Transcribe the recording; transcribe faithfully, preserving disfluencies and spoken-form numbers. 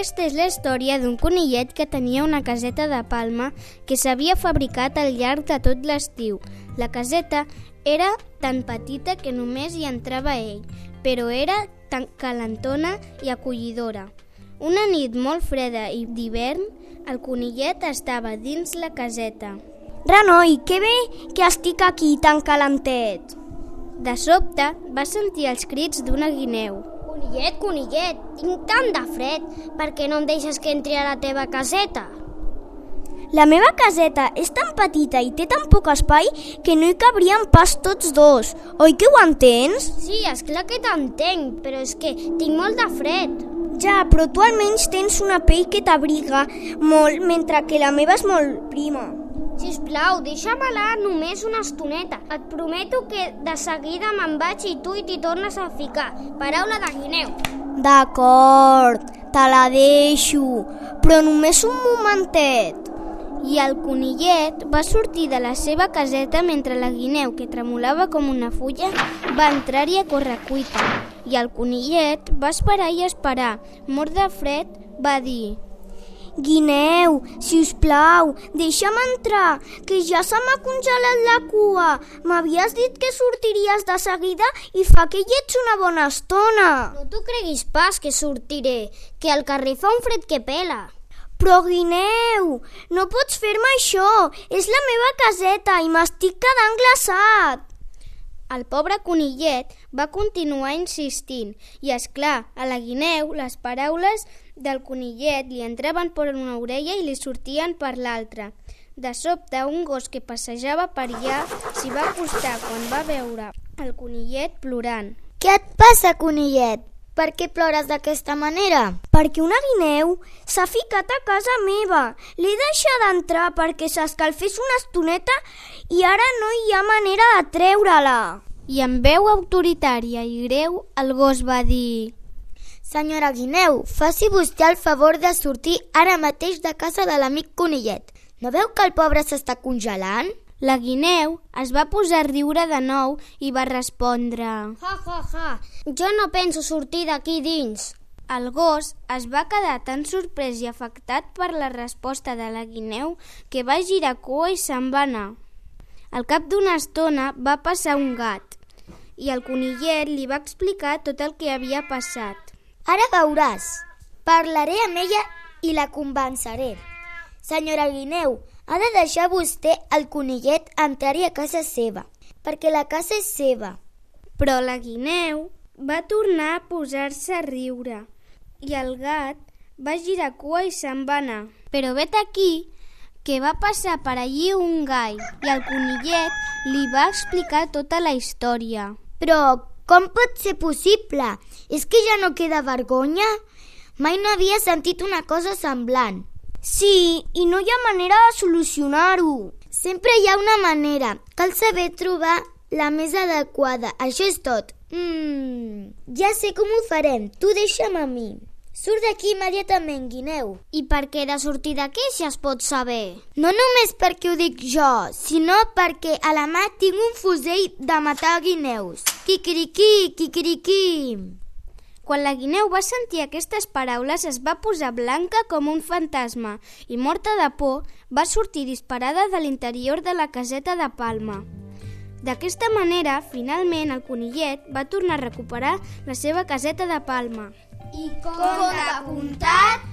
Aquesta és la història d'un conillet que tenia una caseta de palma que s'havia fabricat al llarg de tot l'estiu. La caseta era tan petita que només hi entrava ell, però era tan calentona i acollidora. Una nit molt freda i d'hivern, el conillet estava dins la caseta. Renoi, que bé que estic aquí tan calentet. De sobte va sentir els crits d'una guineu. Conillet, conillet, tinc tant de fred, per què no em deixes que entri a la teva caseta? La meva caseta és tan petita i té tan poc espai que no hi cabríem pas tots dos. Oi que ho entens? Sí, esclar que t'entenc, però és que tinc molt de fred. Ja, però tu almenys tens una pell que t'abriga molt, mentre que la meva és molt prima. Sisplau, deixa-me-la només una estoneta. Et prometo que de seguida me'n vaig i tu hi t'hi tornes a ficar. Paraula de guineu. D'acord, te la deixo, però només un momentet. I el conillet va sortir de la seva caseta mentre la guineu, que tremolava com una fulla, va entrar-hi a correcuita. I el conillet va esperar i esperar. Mort de fred, va dir: Guineu, si us plau, deixa'm entrar, que ja se m'ha congelat la cua. M'havies dit que sortiries de seguida i fa que hi ets una bona estona. No t'ho creguis pas que sortiré, que al carrer fa un fred que pela. Però, Guineu, no pots fer-me això. És la meva caseta i m'estic quedant glaçat. El pobre conillet va continuar insistint i, és clar, a la guineu les paraules del conillet li entraven per una orella i li sortien per l'altra. De sobte, un gos que passejava per allà s'hi va acostar quan va veure el conillet plorant. Què et passa, conillet? Per què plores d'aquesta manera? Perquè una guineu s'ha ficat a casa meva. L'he deixat d'entrar perquè s'escalfés una estoneta i ara no hi ha manera de treure-la. I amb veu autoritària i greu, el gos va dir: Senyora Guineu, faci vostè el favor de sortir ara mateix de casa de l'amic conillet. No veu que el pobre s'està congelant? La guineu es va posar a riure de nou i va respondre: Ja, ja, ja, jo no penso sortir d'aquí dins. El gos es va quedar tan sorprès i afectat per la resposta de la guineu que va girar cua i se'n va anar. Al cap d'una estona va passar un gat i el conillet li va explicar tot el que havia passat. Ara veuràs, parlaré amb ella i la convenceré. Senyora Guineu, ha de deixar vostè el conillet entrar-hi a casa seva, perquè la casa és seva. Però la guineu va tornar a posar-se a riure i el gat va girar cua i se'n va anar. Però vet aquí que va passar per allí un gall i el conillet li va explicar tota la història. Però com pot ser possible? És que ja no queda vergonya? Mai no havia sentit una cosa semblant. Sí, i no hi ha manera de solucionar-ho. Sempre hi ha una manera. Cal saber trobar la més adequada. Això és tot. Mm, ja sé com ho farem. Tu deixa'm a mi. Surt d'aquí immediatament, guineu. I per què he de sortir d'aquí si es pot saber? No només perquè ho dic jo, sinó perquè a la mà tinc un fusell de matar guineus. Quiquiriquí, quiquiriquí. Quan la guineu va sentir aquestes paraules es va posar blanca com un fantasma i, morta de por, va sortir disparada de l'interior de la caseta de palma. D'aquesta manera, finalment, el conillet va tornar a recuperar la seva caseta de palma. I conte contat,